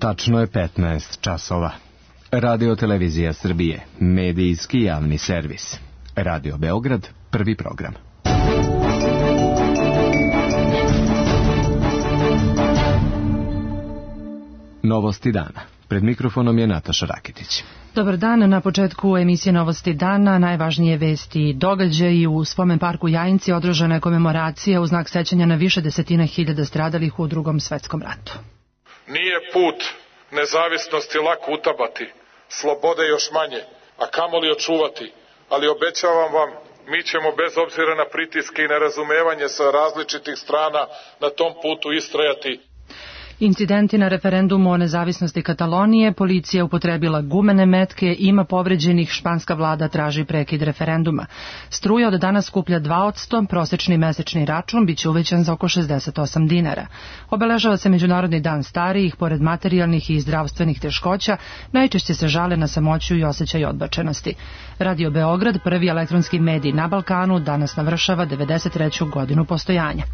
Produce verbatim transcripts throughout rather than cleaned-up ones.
Tačno je petnaest časova. Radio Televizija Srbije, medijski javni servis. Radio Beograd, prvi program. Novosti dana. Pred mikrofonom je Nataša Rakitić. Dobar dan, na početku emisije Novosti dana najvažnije vesti i događaji. U spomen parku Jajinci održana je komemoracija u znak sećanja na više desetina hiljada stradalih u Drugom svetskom ratu. Nije put nezavisnosti lako utabati, slobode još manje, a kamoli očuvati, ali obećavam vam, mi ćemo bez obzira na pritiske i nerazumevanje sa različitih strana na tom putu istrajati. Incidenti na referendumu o nezavisnosti Katalonije, policija upotrebila gumene metke, ima povređenih, španska vlada traži prekid referenduma. Struja od danas skuplja dva posto, prosečni mesečni račun biće uvećan za oko šezdeset osam dinara. Obeležava se Međunarodni dan starijih, pored materijalnih i zdravstvenih teškoća, najčešće se žale na samoću i osjećaj odbačenosti. Radio Beograd, prvi elektronski medij na Balkanu, danas navršava devedeset treću godinu postojanja.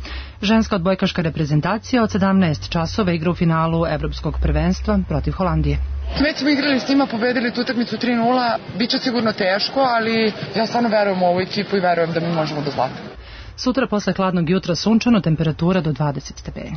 Ženska odbojkaška reprezentacija od sedamnaest časova igra u finalu evropskog prvenstva protiv Holandije. Već smo igrali s njima, pobedili tu utakmicu tri nula, bit će sigurno teško, ali ja stvarno verujem u ovu ekipu i verujem da mi možemo do zlata. Sutra posle hladnog jutra sunčano, temperatura do dvadeset stepeni.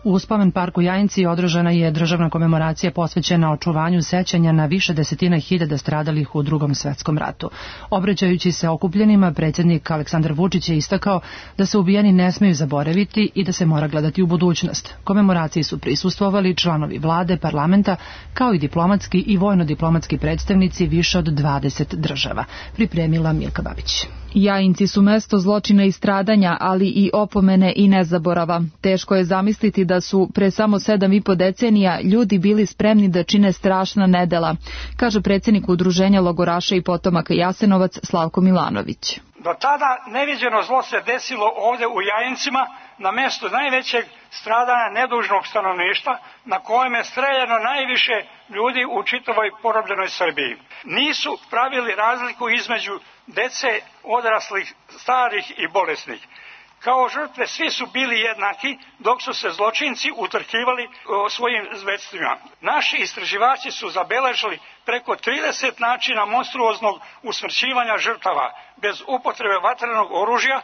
U spomen parku Jajinci održana je državna komemoracija posvećena očuvanju sećanja na više desetina hiljada stradalih u Drugom svetskom ratu. Obraćajući se okupljenima, predsjednik Aleksandar Vučić je istakao da se ubijeni ne smeju zaboraviti i da se mora gledati u budućnost. Komemoraciji su prisustvovali članovi vlade, parlamenta, kao i diplomatski i vojno-diplomatski predstavnici više od dvadeset država. Pripremila Milka Babić. Jajinci su mesto zločina i stradanja, ali i opomene i nezaborava. Teško je zamisliti da su pre samo sedam i po decenija ljudi bili spremni da čine strašna nedela, kaže predsjednik Udruženja logoraša i potomaka Jasenovac Slavko Milanović. Do tada neviđeno zlo se desilo ovdje u Jajincima, na mjestu najvećeg stradanja nedužnog stanovništva, na kojem je streljano najviše ljudi u čitavoj porobljenoj Srbiji. Nisu pravili razliku između dece, odraslih, starih i bolesnih. Kao žrtve svi su bili jednaki, dok su se zločinci utrkivali o svojim zvedstvima. Naši istraživači su zabeležili preko trideset načina monstruoznog usmrćivanja žrtava bez upotrebe vatrenog oružja,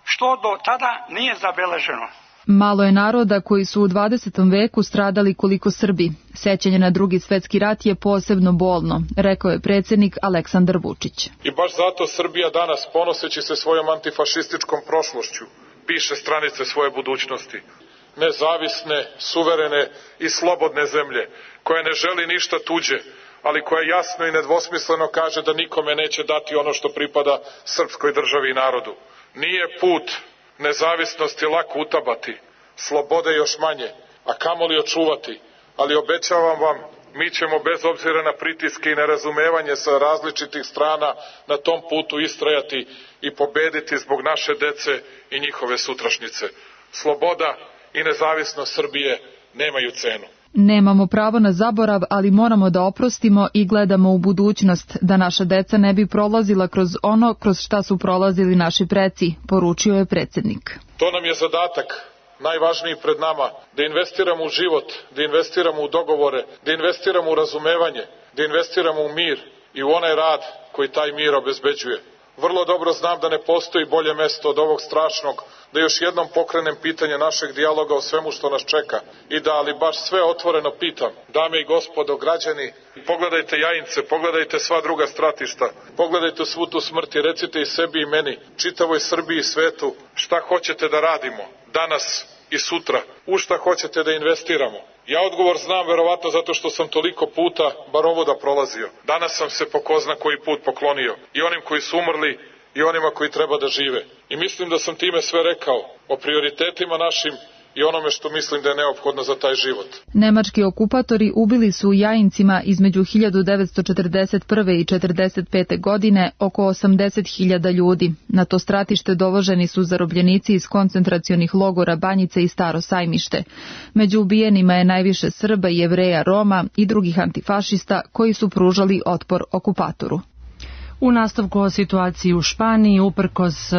što do tada nije zabeleženo. Malo je naroda koji su u dvadesetom veku stradali koliko Srbi. Sećanje na Drugi svetski rat je posebno bolno, rekao je predsjednik Aleksandar Vučić. I baš zato Srbija danas, ponoseći se svojom antifašističkom prošlošću, piše stranice svoje budućnosti. Nezavisne, suverene i slobodne zemlje, koja ne želi ništa tuđe, ali koja jasno i nedvosmisleno kaže da nikome neće dati ono što pripada srpskoj državi i narodu. Nije put nezavisnosti lako utabati, slobode još manje, a kamoli očuvati, ali obećavam vam, mi ćemo bez obzira na pritiske i nerazumevanje sa različitih strana na tom putu istrajati i pobediti zbog naše dece i njihove sutrašnjice. Sloboda i nezavisnost Srbije nemaju cenu. Nemamo pravo na zaborav, ali moramo da oprostimo i gledamo u budućnost, da naša deca ne bi prolazila kroz ono kroz šta su prolazili naši preci, poručio je predsjednik. To nam je zadatak, najvažniji pred nama, da investiramo u život, da investiramo u dogovore, da investiramo u razumevanje, da investiramo u mir i u onaj rad koji taj mir obezbeđuje. Vrlo dobro znam da ne postoji bolje mesto od ovog strašnog, da još jednom pokrenem pitanje našeg dijaloga o svemu što nas čeka i da, ali baš sve otvoreno pitam, dame i gospodo, građani, pogledajte Jajince, pogledajte sva druga stratišta, pogledajte svu tu smrt i recite i sebi i meni, čitavoj Srbiji i svetu, šta hoćete da radimo danas i sutra, u šta hoćete da investiramo. Ja odgovor znam verovatno zato što sam toliko puta bar ovuda prolazio. Danas sam se po ko zna koji put poklonio i onim koji su umrli i onima koji treba da žive. I mislim da sam time sve rekao o prioritetima našim i onome što mislim da je neophodno za taj život. Nemački okupatori ubili su u Jajincima između hiljadu devetsto četrdeset prve i četrdeset pete godine oko osamdeset hiljada ljudi. Na to stratište dovoženi su zarobljenici iz koncentracionih logora Banjice i Staro Sajmište. Među ubijenima je najviše Srba, Jevreja, Roma i drugih antifašista koji su pružali otpor okupatoru. U nastavku o situaciji u Španiji, uprkos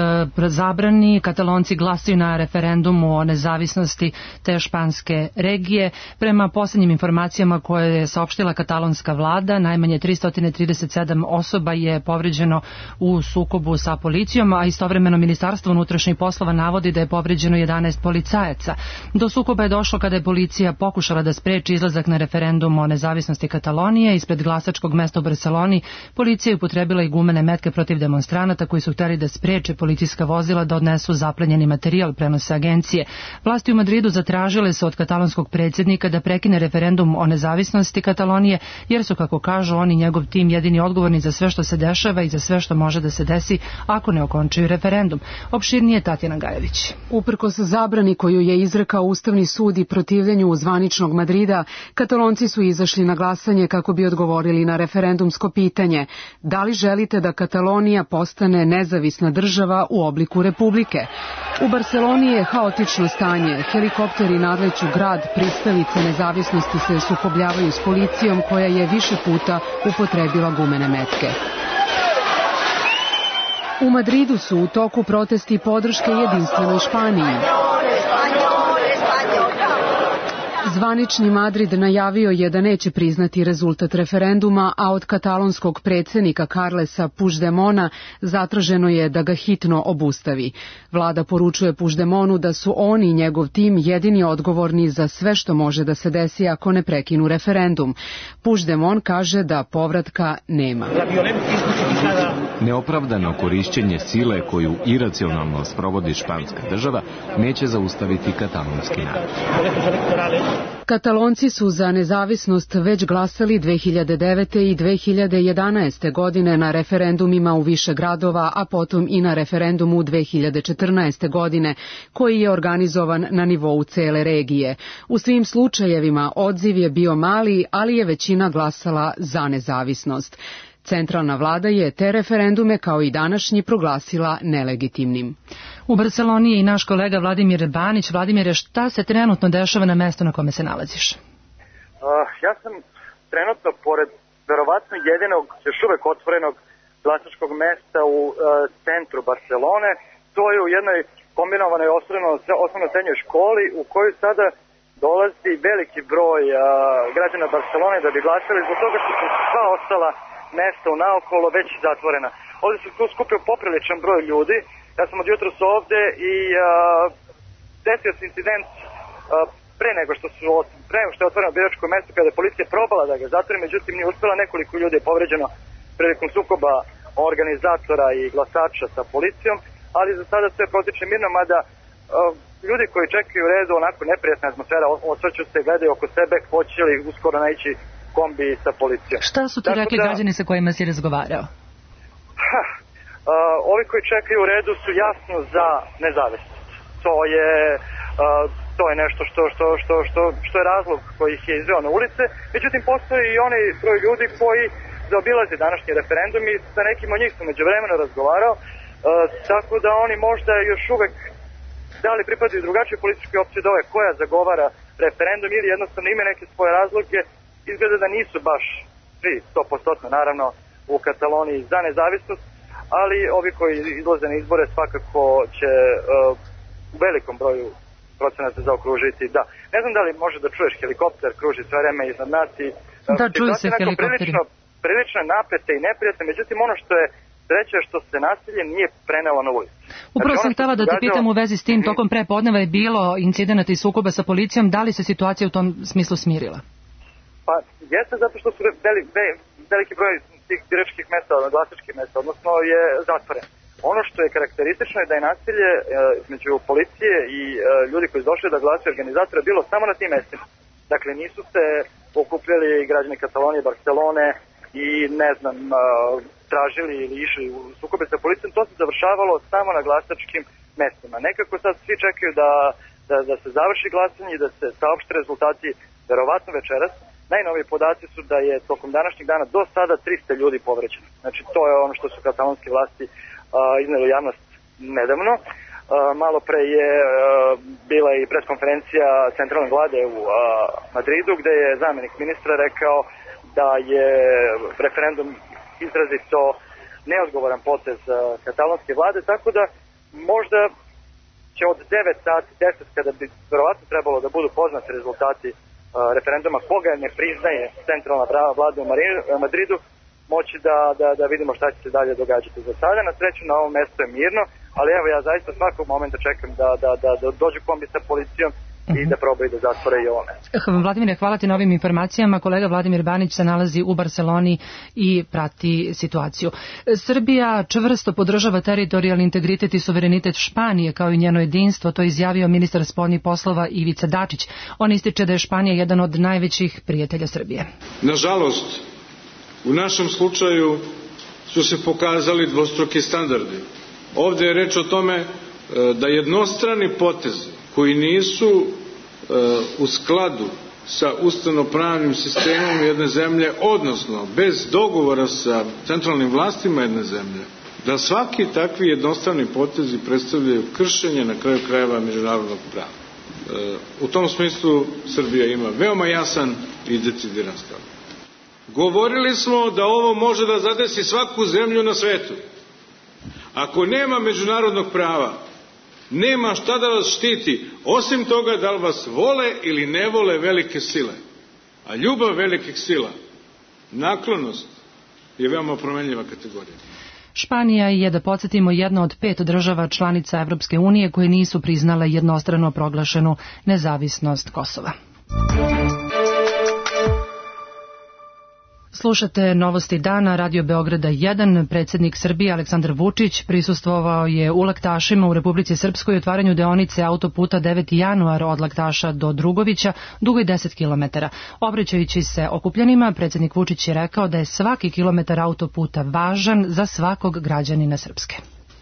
zabrani, Katalonci glasaju na referendumu o nezavisnosti te španske regije. Prema posljednjim informacijama koje je saopštila katalonska vlada, najmanje tristo trideset sedam osoba je povređeno u sukobu sa policijom, a istovremeno Ministarstvo unutrašnjih poslova navodi da je povređeno jedanaest policajaca. Do sukoba je došlo kada je policija pokušala da spreči izlazak na referendum o nezavisnosti Katalonije. Ispred glasačkog mesta u Barseloni policija je upotrebila i gumene metke protiv demonstranata koji su hteli da spreče policijska vozila da odnesu zaplenjeni materijal, prenose agencije. Vlasti u Madridu zatražile su od katalonskog predsjednika da prekine referendum o nezavisnosti Katalonije, jer su, kako kažu, oni i njegov tim jedini odgovorni za sve što se dešava i za sve što može da se desi ako ne okončaju referendum. Opširnije Tatjana Gajević. Uprkos zabrani koju je izrekao Ustavni sud i protivljenju zvaničnog Madrida, Katalonci su izašli na glasanje kako bi odgovorili na referendumsko pitanje: da li želite da Katalonija postane nezavisna država u obliku republike? U Barseloni je haotično stanje. Helikopteri nadleću grad, pristalice nezavisnosti se sukobljavaju s policijom koja je više puta upotrebila gumene metke. U Madridu su u toku protesti podrške jedinstvenoj Španiji. Zvanični Madrid najavio je da neće priznati rezultat referenduma, a od katalonskog predsjednika Carlesa Puigdemona zatraženo je da ga hitno obustavi. Vlada poručuje Puigdemonu da su oni i njegov tim jedini odgovorni za sve što može da se desi ako ne prekinu referendum. Puigdemon kaže da povratka nema. Neopravdano korišćenje sile koju iracionalno sprovodi španska država neće zaustaviti katalonski narod. Katalonci su za nezavisnost već glasali dve hiljade devete i dve hiljade jedanaeste. godine na referendumima u više gradova, a potom i na referendumu dve hiljade četrnaeste. godine, koji je organizovan na nivou cele regije. U svim slučajevima odziv je bio mali, ali je većina glasala za nezavisnost. Centralna vlada je te referendume, kao i današnji, proglasila nelegitimnim. U Barseloni je i naš kolega Vladimir Banić. Vladimire, šta se trenutno dešava na mestu na kome se nalaziš? Uh, ja sam trenutno pored verovatno jedinog, još uvek otvorenog glasačkog mesta u uh, centru Barselone. To je u jednoj kombinovanoj osnovno srednjoj školi u kojoj sada dolazi veliki broj uh, građana Barselone da bi glasali, zbog toga što su sva ostala mesta u naokolo već zatvorena. Ovdje se tu skupio popriličan broj ljudi. Ja sam od jutros ovde i uh, desio se incident uh, pre nego što su pre nego što je otvoreno biračko mesto, kada je policija probala da ga zatvori, međutim nije uspela. Nekoliko ljudi je povređeno prilikom sukoba organizatora i glasača sa policijom, ali za sada sve protiče mirno, mada uh, ljudi koji čekaju u redu, onako neprijatna atmosfera, osvrću se, gledaju oko sebe, hoće li uskoro naići kombi sa policijom. Šta su ti rekli da, građani sa kojima si razgovarao? Ha, uh, ovi koji čekaju u redu su jasno za nezavisnost. To je, uh, to je nešto što, što, što, što, što je razlog koji ih je izveo na ulice. Međutim, postoji i onaj broj ljudi koji zaobilaze današnji referendum i sa nekim od njih sam međuvremeno razgovarao, uh, tako da oni možda još uvek da li pripadaju drugačije političke opcije od ove koja zagovara referendum ili jednostavno ime neke svoje razloge. Izgleda da nisu baš svi sto posto naravno u Kataloniji za nezavisnost, ali ovi koji izlaze na izbore svakako će uh, u velikom broju procenata zaokružiti. Da. Ne znam da li može da čuješ helikopter, kruži sve vreme iznad nas i da, čuju se helikopteri. Prilično, prilično napete i neprijatne, međutim ono što je sreća što se nasilje nije prenelo na ulicu. Upravo znači, sam htjela da te pitam u vezi s tim, tokom prepodneva je bilo incidenata i sukoba sa policijom, da li se situacija u tom smislu smirila? Pa jeste zato što su veli, ve, veliki broj tih biračkih mesta, glasačkih mesta, odnosno je zatvoren. Ono što je karakteristično je da je nasilje e, između policije i e, ljudi koji su došli da glasaju organizatora bilo samo na tim mestima. Dakle, nisu se okupljali građani Katalonije, Barcelone i ne znam, e, tražili ili išli u sukobe sa policijom. To se završavalo samo na glasačkim mestima. Nekako sad svi čekaju da, da, da se završi glasanje i da se saopšte rezultati verovatno večeras. Najnoviji podaci su da je tokom današnjeg dana do sada trista ljudi povređeno. Znači to je ono što su katalonske vlasti uh, izneli javnost nedavno. Uh, malo pre je uh, bila i preskonferencija centralne vlade u uh, Madridu, gde je zamjenik ministra rekao da je referendum izrazito neodgovoran potez katalonske vlade, tako da možda će od devet sati, deset kada bi verovatno trebalo da budu poznati rezultati referenduma koga ne priznaje centralna vlada u Madridu, moći da, da, da vidimo šta će se dalje događati. Za sada na sreću na ovom mestu je mirno, ali evo ja zaista svakog momenta čekam da, da, da, da dođu kombi sa policijom i da probaju da zatvore i ovo mesto. Vladimire, hvala ti na ovim informacijama. Kolega Vladimir Banić se nalazi u Barseloni i prati situaciju. Srbija čvrsto podržava teritorijalni integritet i suverenitet Španije kao i njeno jedinstvo, to je izjavio ministar spoljnih poslova Ivica Dačić. On ističe da je Španija jedan od najvećih prijatelja Srbije. Nažalost, u našem slučaju su se pokazali dvostruki standardi. Ovde je reč o tome da jednostrani potezi koji nisu e, u skladu sa ustavnopravnim sistemom jedne zemlje, odnosno bez dogovora sa centralnim vlastima jedne zemlje, da svaki takvi jednostrani potezi predstavljaju kršenje na kraju krajeva međunarodnog prava. E, u tom smislu Srbija ima veoma jasan i decidiran stav. Govorili smo da ovo može da zadesi svaku zemlju na svetu. Ako nema međunarodnog prava, nema šta da vas štiti, osim toga da li vas vole ili ne vole velike sile. A ljubav velikih sila, naklonost, je veoma promenljiva kategorija. Španija je, da podsjetimo, jedna od pet država članica Evropske unije koje nisu priznale jednostrano proglašenu nezavisnost Kosova. Slušate Novosti dana, Radio Beograda jedan. Predsjednik Srbije Aleksandar Vučić prisustvovao je u Laktašima u Republici Srpskoj u otvaranju deonice autoputa deveti januar od Laktaša do Drugovića, dugoj deset kilometara. Obraćajući se okupljenima, predsjednik Vučić je rekao da je svaki kilometar autoputa važan za svakog građanina Srpske.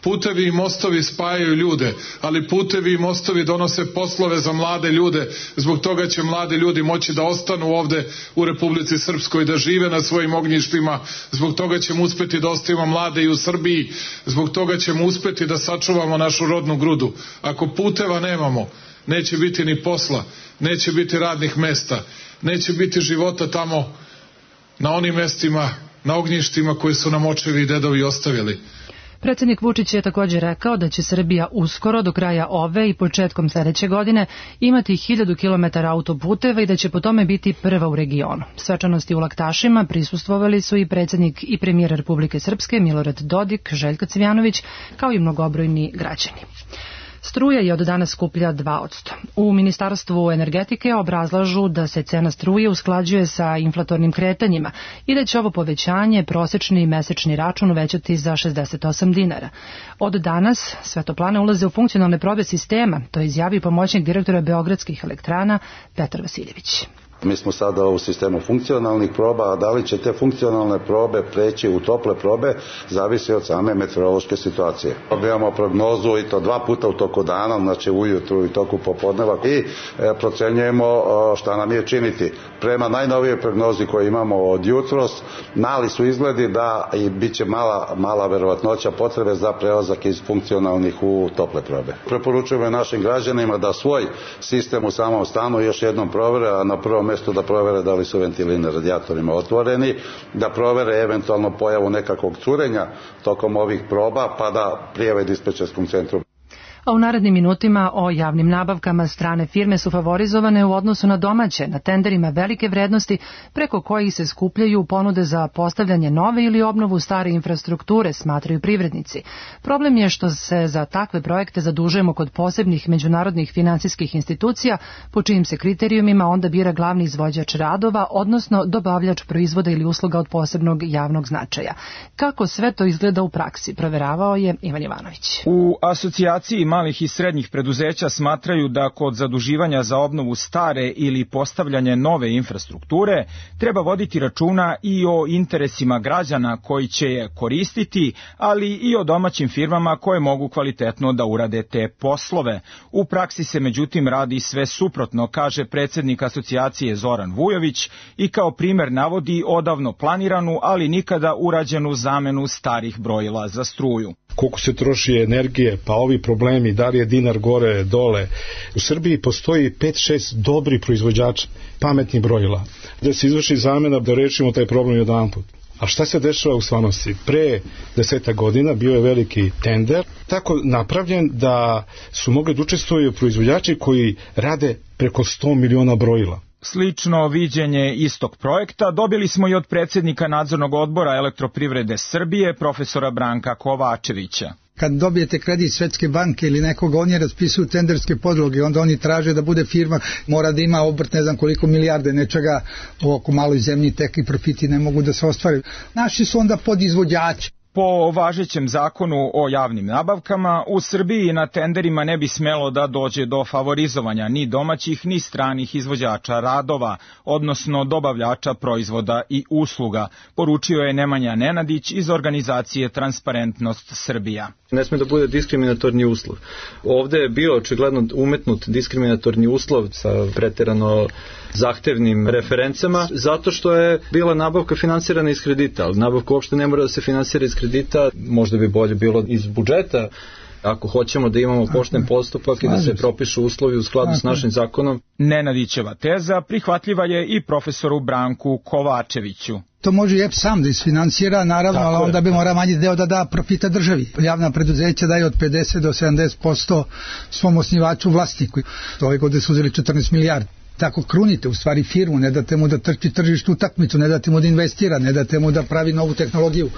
Putevi i mostovi spajaju ljude, ali putevi i mostovi donose poslove za mlade ljude. Zbog toga će mladi ljudi moći da ostanu ovde u Republici Srpskoj, da žive na svojim ognjištima. Zbog toga ćemo uspeti da ostavimo mlade i u Srbiji. Zbog toga ćemo uspeti da sačuvamo našu rodnu grudu. Ako puteva nemamo, neće biti ni posla, neće biti radnih mesta, neće biti života tamo na onim mestima, na ognjištima koje su nam očevi i dedovi ostavili. Predsjednik Vučić je također rekao da će Srbija uskoro, do kraja ove i početkom sljedeće godine, imati hiljadu kilometara autoputeva i da će po tome biti prva u regionu. Svečanosti u Laktašima prisustvovali su i predsjednik i premijer Republike Srpske Milorad Dodik, Željko Cvijanović, kao i mnogobrojni građani. Struja je od danas skuplja dva posto. U Ministarstvu energetike obrazlažu da se cena struje usklađuje sa inflatornim kretanjima i da će ovo povećanje prosječni i mesečni račun uvećati za šezdeset osam dinara. Od danas sve toplane ulaze u funkcionalne probe sistema, to je izjavio pomoćnik direktora Beogradskih elektrana Petar Vasiljević. Mi smo sada u sistemu funkcionalnih proba, a da li će te funkcionalne probe preći u tople probe, zavisi od same meteorološke situacije. Imamo prognozu i to dva puta u toku dana, znači ujutru i toku popodneva i e, procenjujemo šta nam je činiti. Prema najnovijoj prognozi koju imamo od jutros, mali su izgledi da i bit će mala, mala verovatnoća potrebe za prelazak iz funkcionalnih u tople probe. Preporučujemo našim građanima da svoj sistem u samom stanu još jednom provere, a na prvom mjestu da provere da li su ventili na radijatorima otvoreni, da provere eventualno pojavu nekakvog curenja tokom ovih proba, pa da prijave dispečerskom centru. A u narednim minutima o javnim nabavkama strane firme su favorizovane u odnosu na domaće, na tenderima velike vrednosti preko kojih se skupljaju ponude za postavljanje nove ili obnovu stare infrastrukture, smatraju privrednici. Problem je što se za takve projekte zadužujemo kod posebnih međunarodnih finansijskih institucija, po čijim se kriterijumima onda bira glavni izvođač radova, odnosno dobavljač proizvoda ili usluga od posebnog javnog značaja. Kako sve to izgleda u praksi, proveravao je Ivan Jovanović. U asocijaciji malih i srednjih preduzeća smatraju da kod zaduživanja za obnovu stare ili postavljanje nove infrastrukture treba voditi računa i o interesima građana koji će je koristiti, ali i o domaćim firmama koje mogu kvalitetno da urade te poslove. U praksi se međutim radi sve suprotno, kaže predsjednik asocijacije Zoran Vujović, i kao primer navodi odavno planiranu, ali nikada urađenu zamenu starih brojila za struju. Koliko se troši energije, pa ovi problemi, da li je dinar gore, dole. U Srbiji postoji pet šest dobri proizvođača pametnih brojila. Da se izvrši zamena da rešimo taj problem jedanput. A šta se dešava u stvarnosti? Pre deseta godina bio je veliki tender, tako napravljen da su mogli da učestvuju proizvođači koji rade preko sto miliona brojila. Slično viđenje istog projekta dobili smo i od predsjednika nadzornog odbora Elektroprivrede Srbije, profesora Branka Kovačevića. Kad dobijete kredit Svetske banke ili nekoga, oni raspisuju tenderske podloge, onda oni traže da bude firma, mora da ima obrt ne znam koliko milijarde nečega, oko maloj zemlji tek i profiti ne mogu da se ostvare. Naši su onda podizvođači. Po važećem zakonu o javnim nabavkama, u Srbiji na tenderima ne bi smelo da dođe do favorizovanja ni domaćih ni stranih izvođača radova, odnosno dobavljača proizvoda i usluga, poručio je Nemanja Nenadić iz organizacije Transparentnost Srbija. Ne sme da bude diskriminatorni uslov. Ovde je bio očigledno umetnut diskriminatorni uslov sa preterano zahtevnim referencama, zato što je bila nabavka finansirana iz kredita, ali nabavka uopšte ne mora da se finansira iz kredita, možda bi bolje bilo iz budžeta, ako hoćemo da imamo pošten postupak i da se propišu uslovi u skladu s našim zakonom. Nenadićeva teza prihvatljiva je i profesoru Branku Kovačeviću. To može i E P sam da isfinansira, naravno, ali onda bi mora manji deo da da profita državi. Javna preduzeća daju od pedeset do sedamdeset posto svom osnivaču vlasniku. Ove godine su uzeli četrnaest milijardi. Tako krunite u stvari firmu, ne date mu da trči tržištu utakmicu, ne date mu da investira, ne date mu da pravi novu tehnologiju.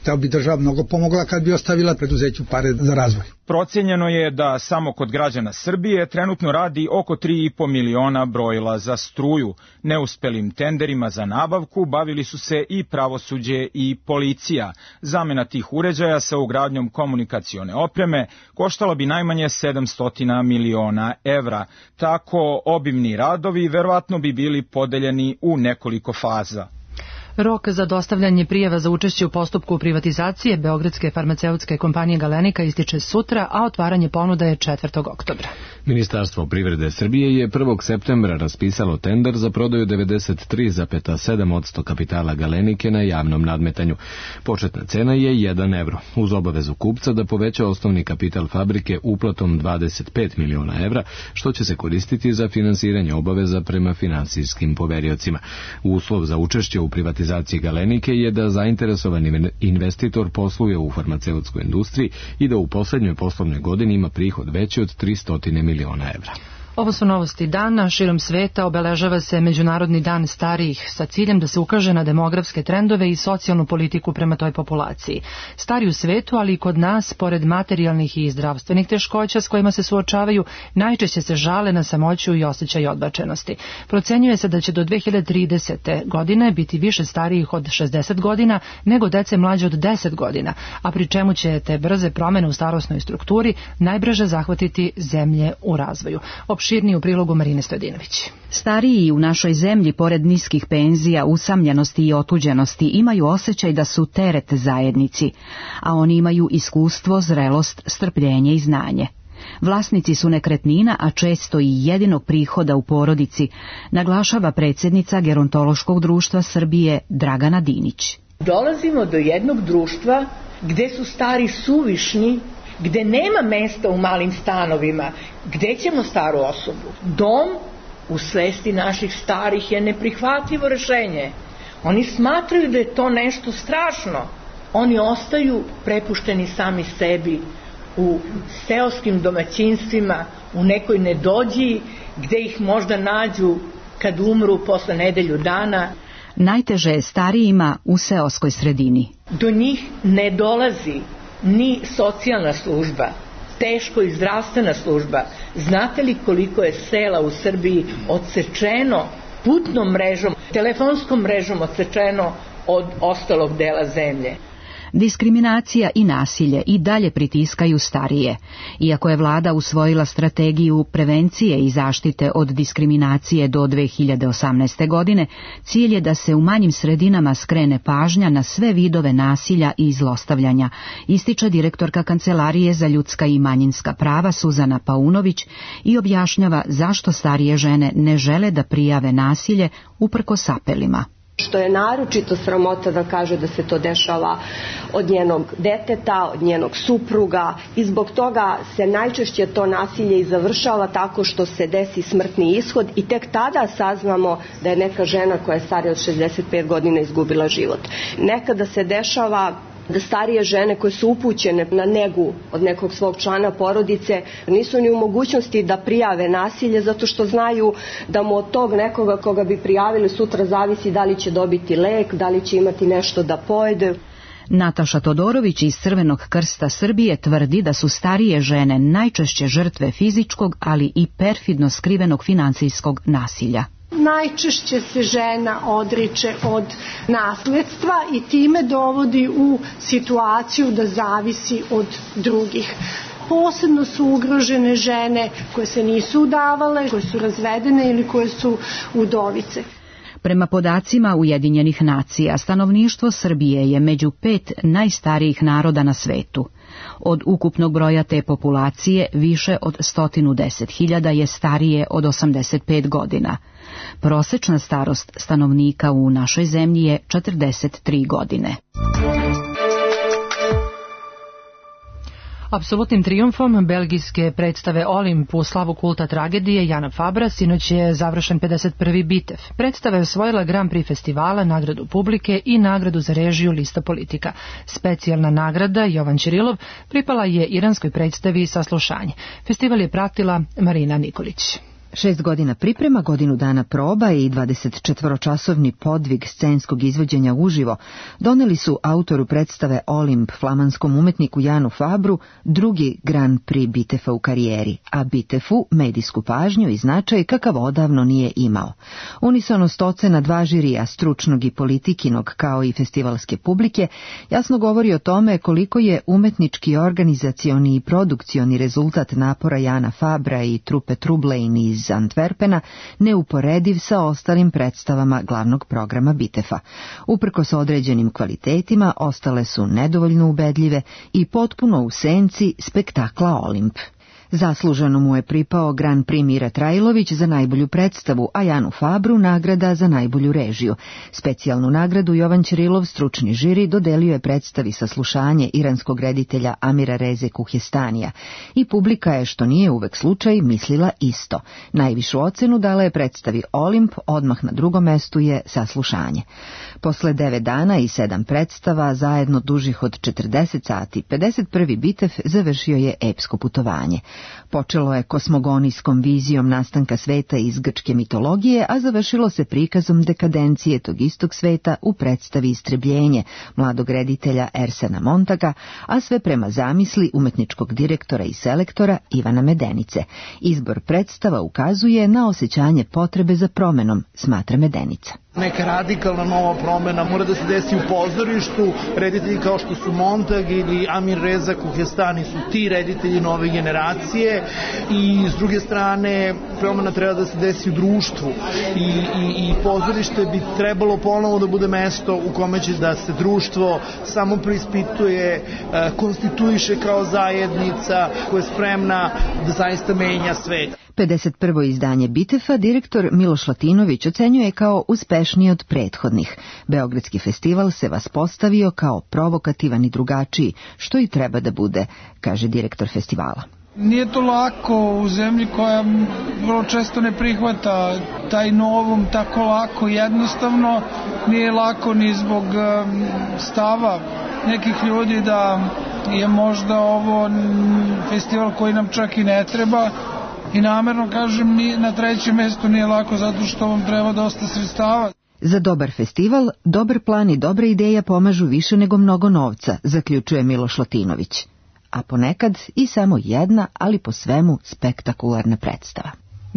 To bi država mnogo pomogla kad bi ostavila preduzeću pare za razvoj. Procenjeno je da samo kod građana Srbije trenutno radi oko tri i po miliona brojila za struju. Neuspelim tenderima za nabavku bavili su se i pravosuđe i policija. Zamena tih uređaja sa ugradnjom komunikacione opreme koštala bi najmanje sedamsto miliona evra. Tako obimni radovi verovatno bi bili podeljeni u nekoliko faza. Rok za dostavljanje prijava za učešće u postupku privatizacije Beogradske farmaceutske kompanije Galenika ističe sutra, a otvaranje ponuda je četvrtog oktobra. Ministarstvo privrede Srbije je prvog septembra raspisalo tender za prodaju devedeset tri zarez sedam posto kapitala Galenike na javnom nadmetanju. Početna cena je jedan evro, uz obavezu kupca da poveća osnovni kapital fabrike uplatom dvadeset pet miliona evra, što će se koristiti za finansiranje obaveza prema finansijskim poveriocima. Uslov za učešće u privatizaciji Galenike je da zainteresovani investitor posluje u farmaceutskoj industriji i da u poslednjoj poslovnoj godini ima prihod veći od tristo miliona evra. Ovo su novosti dana. Širom sveta obeležava se Međunarodni dan starijih sa ciljem da se ukaže na demografske trendove i socijalnu politiku prema toj populaciji. Stari u svetu, ali i kod nas, pored materijalnih i zdravstvenih teškoća s kojima se suočavaju, najčešće se žale na samoću i osjećaj odbačenosti. Procenjuje se da će do dve hiljade tridesete. godine biti više starijih od šezdeset godina nego dece mlađe od deset godina, a pri čemu će te brze promene u starosnoj strukturi najbrže zahvatiti zemlje u razvoju. Širni u prilogu Marine Stojadinović. Stariji u našoj zemlji, pored niskih penzija, usamljenosti i otuđenosti, imaju osjećaj da su teret zajednici, a oni imaju iskustvo, zrelost, strpljenje i znanje. Vlasnici su nekretnina, a često i jedinog prihoda u porodici, naglašava predsjednica Gerontološkog društva Srbije Dragana Dinić. Dolazimo do jednog društva gde su stari suvišni, gde nema mesta u malim stanovima, gde ćemo staru osobu? Dom u svesti naših starih je neprihvatljivo rešenje. Oni smatraju da je to nešto strašno. Oni ostaju prepušteni sami sebi u seoskim domaćinstvima, u nekoj nedođiji, gde ih možda nađu kad umru posle nedelju dana. Najteže je starijima u seoskoj sredini. Do njih ne dolazi ni socijalna služba, teško i zdravstvena služba. Znate li koliko je sela u Srbiji odsečeno putnom mrežom, telefonskom mrežom odsečeno od ostalog dela zemlje? Diskriminacija i nasilje i dalje pritiskaju starije. Iako je vlada usvojila strategiju prevencije i zaštite od diskriminacije do dve hiljade osamnaeste. godine, cilj je da se u manjim sredinama skrene pažnja na sve vidove nasilja i zlostavljanja, ističe direktorka Kancelarije za ljudska i manjinska prava Suzana Paunović i objašnjava zašto starije žene ne žele da prijave nasilje uprkos apelima. što je naročito sramota da kaže da se to dešava od njenog deteta, od njenog supruga i zbog toga se najčešće to nasilje i završava tako što se desi smrtni ishod i tek tada saznamo da je neka žena koja je starija od šezdeset pet godina izgubila život. Nekada se dešava da starije žene koje su upućene na negu od nekog svog člana porodice nisu ni u mogućnosti da prijave nasilje zato što znaju da mu od tog nekoga koga bi prijavili sutra zavisi da li će dobiti lek, da li će imati nešto da pojede. Nataša Todorović iz Crvenog krsta Srbije tvrdi da su starije žene najčešće žrtve fizičkog, ali i perfidno skrivenog financijskog nasilja. Najčešće se žena odriče od nasledstva i time dovodi u situaciju da zavisi od drugih. Posebno su ugrožene žene koje se nisu udavale, koje su razvedene ili koje su udovice. Prema podacima Ujedinjenih nacija, stanovništvo Srbije je među pet najstarijih naroda na svetu. Od ukupnog broja te populacije više od sto deset hiljada je starije od osamdeset pet godina. Prosečna starost stanovnika u našoj zemlji je četrdeset tri godine. Apsolutnim trijumfom belgijske predstave Olimp u slavu kulta tragedije Jana Fabra sinoć je završen pedeset prvi Bitev. Predstava je osvojila Grand Prix festivala, nagradu publike i nagradu za režiju Lista politika. Specijalna nagrada Jovan Ćirilov pripala je iranskoj predstavi Saslušanje. Festival je pratila Marina Nikolić. Šest godina priprema, godinu dana proba i dvadesetčetvoročasovni podvig scenskog izvođenja uživo doneli su autoru predstave Olimp, flamanskom umetniku Janu Fabru, drugi Grand Prix Bitefa u karijeri, a Bitefu medijsku pažnju i značaj kakav odavno nije imao. Unisonost ocena dva žirija, stručnog i politikinog, kao i festivalske publike, jasno govori o tome koliko je umetnički, organizacioni i produkcioni rezultat napora Jana Fabra i trupe Trublein iz Antwerpena neuporediv sa ostalim predstavama glavnog programa Bitefa. Uprkos određenim kvalitetima, ostale su nedovoljno ubedljive i potpuno u senci spektakla Olimp. Zasluženo mu je pripao Grand Prix Mira Trajlović za najbolju predstavu, a Janu Fabru nagrada za najbolju režiju. Specijalnu nagradu Jovan Ćirilov, stručni žiri, dodelio je predstavi Saslušanje iranskog reditelja Amira Reze Kuhestanija. I publika je, što nije uvek slučaj, mislila isto. Najvišu ocenu dala je predstavi Olimp, odmah na drugom mestu je Saslušanje. Posle devet dana i sedam predstava, zajedno dužih od četrdeset sati, pedeset prvi Bitev završio je epsko putovanje. Počelo je kosmogonijskom vizijom nastanka sveta iz grčke mitologije, a završilo se prikazom dekadencije tog istog sveta u predstavi Istrebljenje mladog reditelja Ersena Montaga, a sve prema zamisli umetničkog direktora i selektora Ivana Medenice. Izbor predstava ukazuje na osjećanje potrebe za promenom, smatra Medenica. Neka radikalna nova promena mora da se desi u pozorištu. Reditelji kao što su Montag ili Amir Reza Kuhestani su ti reditelji nove generacije i s druge strane promena treba da se desi u društvu i, i, i pozorište bi trebalo ponovo da bude mesto u kome će da se društvo samo preispituje, konstituiše kao zajednica koja je spremna da zaista menja svet. pedeset prvo izdanje Bitefa direktor Miloš Latinović ocenjuje kao uspešniji od prethodnih. Beogradski festival se vaspostavio kao provokativan i drugačiji, što i treba da bude, kaže direktor festivala. Nije to lako u zemlji koja vrlo često ne prihvata taj novom tako lako, jednostavno nije lako ni zbog stava nekih ljudi da je možda ovo festival koji nam čak i ne treba. I namerno kažem, na trećem mjestu nije lako zato što vam treba dosta sredstava. Za dobar festival, dobar plan i dobra ideja pomažu više nego mnogo novca, zaključuje Miloš Latinović. A ponekad i samo jedna, ali po svemu spektakularna predstava.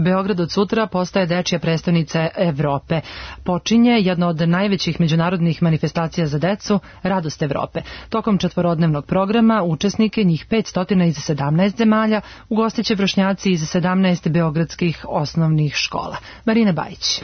Beograd od sutra postaje dečija prestonica Evrope. Počinje jedna od najvećih međunarodnih manifestacija za decu, Radost Evrope. Tokom četvorodnevnog programa učesnike, njih petsto iz sedamnaest zemalja, ugostiće vršnjaci iz sedamnaest beogradskih osnovnih škola. Marina Bajić.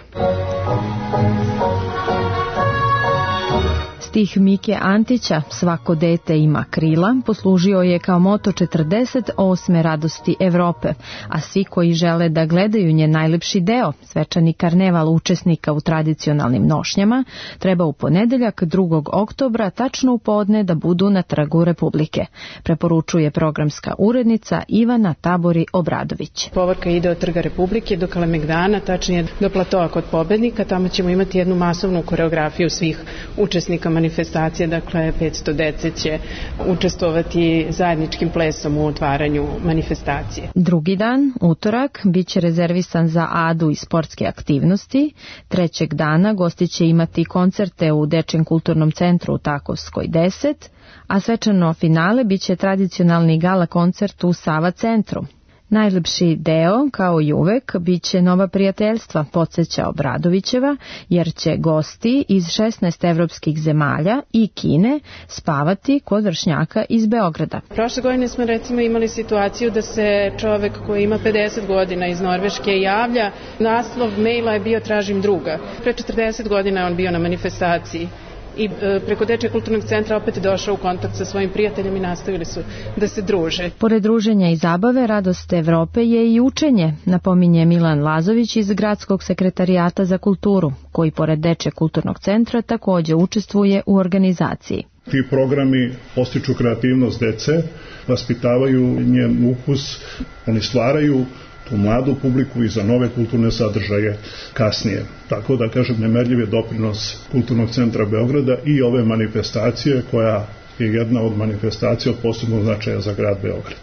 Stih Mike Antića, svako dete ima krila, poslužio je kao moto četrdeset osme radosti Evrope, a svi koji žele da gledaju njen najlepši deo, svečani karneval učesnika u tradicionalnim nošnjama, treba u ponedeljak drugog oktobra tačno u podne da budu na Trgu Republike, preporučuje programska urednica Ivana Tabori Obradović. Povorka ide od Trga Republike do Kalemegdana, tačnije do platoa kod Pobednika, tamo ćemo imati jednu masovnu koreografiju svih učesnika manifestacije, dakle petsto dece će učestvovati zajedničkim plesom u otvaranju manifestacije. Drugi dan, utorak, bit će rezervisan za adu i sportske aktivnosti. Trećeg dana gosti će imati koncerte u Dečjem kulturnom centru u Takovskoj deset, a svečano finale bit će tradicionalni gala koncert u Sava centru. Najlepši deo, kao i uvek, bit će nova prijateljstva, podsjeća Obradovićeva, jer će gosti iz šesnaest evropskih zemalja i Kine spavati kod vršnjaka iz Beograda. Prošle godine smo recimo imali situaciju da se čovek koji ima pedeset godina iz Norveške javlja, naslov maila je bio tražim druga. Pre četrdeset godina je on bio na manifestaciji i preko Dečjeg kulturnog centra opet je došao u kontakt sa svojim prijateljem i nastavili su da se druže. Pored druženja i zabave, radost Evrope je i učenje, napominje Milan Lazović iz Gradskog sekretarijata za kulturu, koji pored Dečjeg kulturnog centra takođe učestvuje u organizaciji. Ti programi postiču kreativnost dece, vaspitavaju njen ukus, oni stvaraju tu mladu publiku i za nove kulturne sadržaje kasnije. Tako da, kažem, nemerljiv je doprinos Kulturnog centra Beograda i ove manifestacije koja je jedna od manifestacija od posebnog značaja za grad Beograd.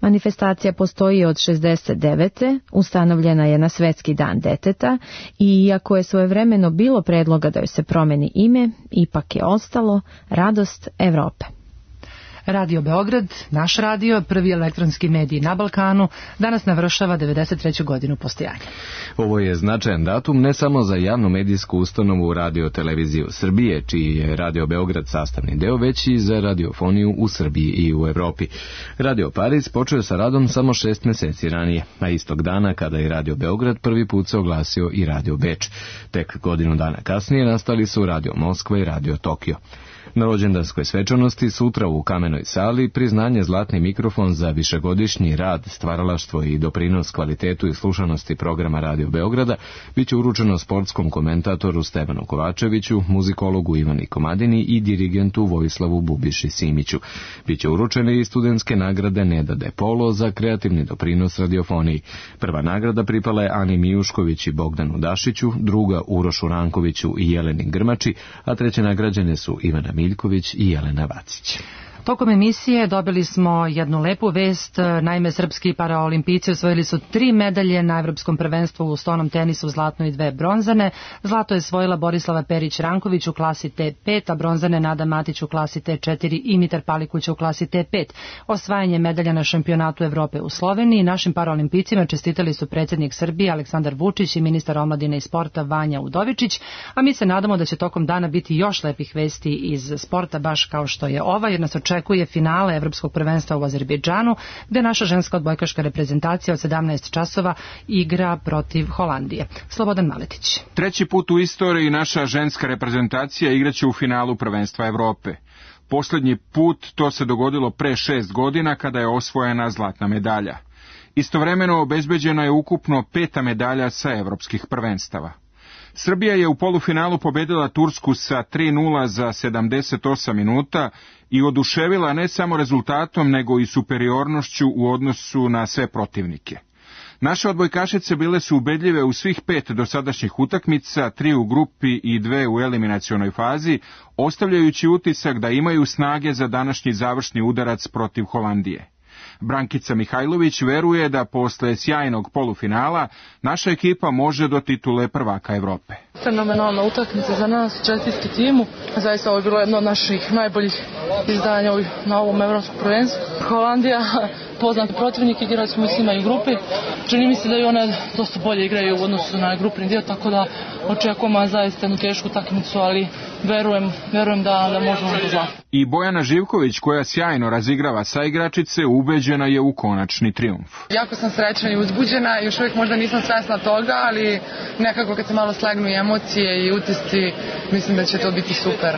Manifestacija postoji od šezdeset devete. Ustanovljena je na Svetski dan deteta i iako je svojevremeno bilo predloga da joj se promeni ime, ipak je ostalo Radost Evrope. Radio Beograd, naš radio, prvi elektronski medij na Balkanu, danas navršava devedeset treću godinu postojanja. Ovo je značajan datum ne samo za javnu medijsku ustanovu Radio Televiziju Srbije, čiji je Radio Beograd sastavni deo, već i za radiofoniju u Srbiji i u Evropi. Radio Paris počeo sa radom samo šest meseci ranije, a istog dana kada je Radio Beograd prvi put se oglasio i Radio Beč. Tek godinu dana kasnije nastali su Radio Moskva i Radio Tokio. Na rođendanskoj svečanosti sutra u Kamenoj sali priznanje Zlatni mikrofon za višegodišnji rad, stvaralaštvo i doprinos kvalitetu i slušanosti programa Radio Beograda biće uručeno sportskom komentatoru Stevanu Kovačeviću, muzikologu Ivani Komadini i dirigentu Vojislavu Bubiši Simiću. Biće uručene i studentske nagrade Neda De Polo za kreativni doprinos radiofoniji. Prva nagrada pripala je Ani Mijušković i Bogdanu Dašiću, druga Urošu Rankoviću i Jeleni Grmači, a treće nagrađene su Ivana Miljković i Jelena Vacić. Tokom emisije dobili smo jednu lepu vest, naime srpski paraolimpijci osvojili su tri medalje na Evropskom prvenstvu u stonom tenisu, zlatno i dve bronzane. Zlato je osvojila Borislava Perić-Ranković u klasi T pet, a bronzane Nada Matić u klasi T četiri i Mitar Palikuć u klasi T pet. Osvajanje medalja na šampionatu Evrope u Sloveniji našim paraolimpijcima čestitali su predsjednik Srbije Aleksandar Vučić i ministar omladine i sporta Vanja Udovičić, a mi se nadamo da će tokom dana biti još lepih vesti iz sporta, baš kao što je ova, jer nas očekuje finale Evropskog prvenstva u Azerbejdžanu, gde naša ženska odbojkaška reprezentacija od sedamnaest časova igra protiv Holandije. Slobodan Maletić. Treći put u istoriji naša ženska reprezentacija igraće u finalu prvenstva Evrope. Poslednji put to se dogodilo pre šest godina kada je osvojena zlatna medalja. Istovremeno obezbeđeno je ukupno peta medalja sa evropskih prvenstava. Srbija je u polufinalu pobedila Tursku sa tri nula za sedamdeset osam minuta i oduševila ne samo rezultatom, nego i superiornošću u odnosu na sve protivnike. Naše odbojkašice bile su ubedljive u svih pet dosadašnjih utakmica, tri u grupi i dve u eliminacionoj fazi, ostavljajući utisak da imaju snage za današnji završni udarac protiv Holandije. Brankica Mihajlović veruje da posle sjajnog polufinala naša ekipa može do titule prvaka Evrope. Fenomenalna utakmica za nas, čestitke timu. Zaista ovo je bilo jedno od naših najboljih izdanja na ovom evropskom prvenstvu. Holandija poznat protivnik, igrali smo s njima i u grupi. Čini mi se da i one dosta bolje igraju u odnosu na grupni dio, tako da očekujemo zaista jednu tešku utakmicu, ali verujem, verujem da, da možemo do zlata. I Bojana Živković, koja sjajno razigrava saigračice, ubeđena je u konačni trijumf. Jako sam srećna i uzbuđena, još uvijek možda nisam svesna toga, ali nekako kad se malo slegnu i emocije i utisci, mislim da će to biti super.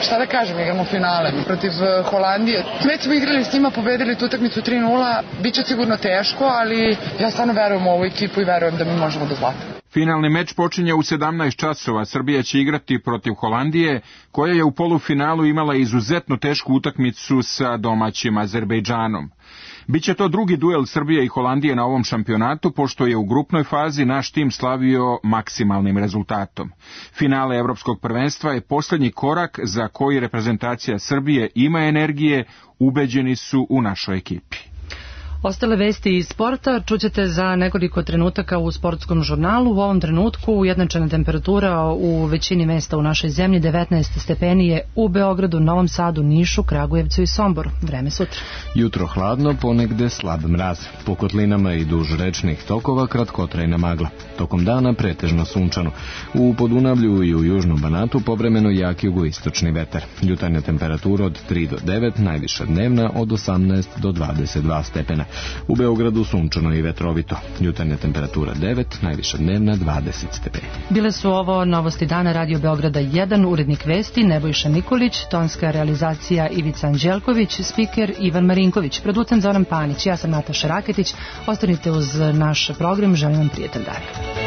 Šta da kažem, igramo finale protiv Holandije. Već smo igrali s njima, pobedili tu utakmicu tri nula, bit će sigurno teško, ali ja stvarno verujem u ovu ekipu i verujem da mi možemo do zlata. Finalni meč počinje u sedamnaest časova. Srbija će igrati protiv Holandije, koja je u polufinalu imala izuzetno tešku utakmicu sa domaćim Azerbejdžanom. Biće to drugi duel Srbije i Holandije na ovom šampionatu, pošto je u grupnoj fazi naš tim slavio maksimalnim rezultatom. Finale Evropskog prvenstva je posljednji korak za koji reprezentacija Srbije ima energije, ubeđeni su u našoj ekipi. Ostale vesti iz sporta čućete za nekoliko trenutaka u sportskom žurnalu. U ovom trenutku ujednačena temperatura u većini mesta u našoj zemlji, devetnaest stepeni je u Beogradu, Novom Sadu, Nišu, Kragujevcu i Somboru. Vreme sutra. Jutro hladno, ponegde slab mraz. Po kotlinama i duž rečnih tokova kratkotrajna magla. Tokom dana pretežno sunčano. U Podunavlju i u Južnom Banatu povremeno jak jugoistočni vetar. Jutarnja temperatura od tri do devet, najviša dnevna od osamnaest do dvadeset dva stepena. U Beogradu sunčano i vetrovito. Jutarnja temperatura devet, najviša dnevna dvadeset stepeni. Bile su ovo novosti dana Radio Beograda jedan, urednik vesti Nebojša Nikolić, tonska realizacija Ivica Anđelković, spiker Ivan Marinković, producent Zoran Panić, ja sam Nataša Raketić. Ostanite uz naš program, želim vam prijetan dan.